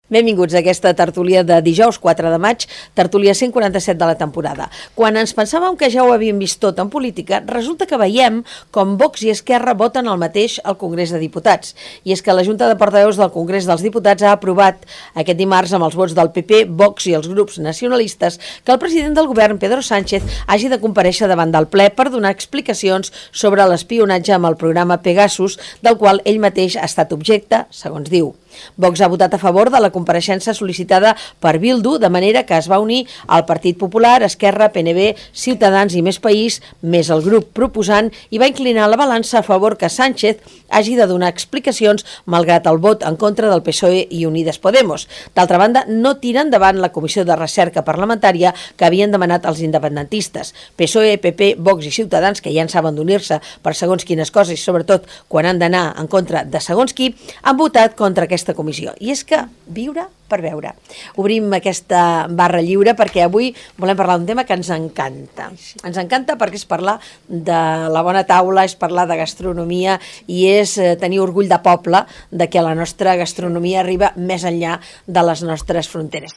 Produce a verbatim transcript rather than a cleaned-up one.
Benvinguts a aquesta tertúlia de dijous quatre de maig, tertúlia cent quaranta-set de la temporada. Quan ens pensàvem que ja ho havíem vist tot en política, resulta que veiem com Vox i Esquerra voten el mateix al Congrés de Diputats. I és que la Junta de Portaveus del Congrés dels Diputats ha aprovat aquest dimarts amb els vots del P P, Vox i els grups nacionalistes que el president del govern, Pedro Sánchez, hagi de comparèixer davant del ple per donar explicacions sobre l'espionatge amb el programa Pegasus, del qual ell mateix ha estat objecte, segons diu. Vox ha votat a favor de la compareixença sol·licitada per Bildu, de manera que es va unir al Partit Popular, Esquerra, P N B, Ciutadans i Més País, més el grup proposant, i va inclinar la balança a favor que Sánchez hagi de donar explicacions malgrat el vot en contra del P S O E i Unides Podemos. D'altra banda, no tira endavant la comissió de recerca parlamentària que havien demanat els independentistes. P S O E, P P, Vox i Ciutadans, que ja en saben d'unir-se per segons quines coses i sobretot quan han d'anar en contra de segons qui, han votat contra aquesta comissió. I és que viure per veure. Obrim aquesta barra lliure perquè avui volem parlar d'un tema que ens encanta. Ens encanta perquè és parlar de la bona taula, és parlar de gastronomia i és tenir orgull de poble de que la nostra gastronomia arriba més enllà de les nostres fronteres.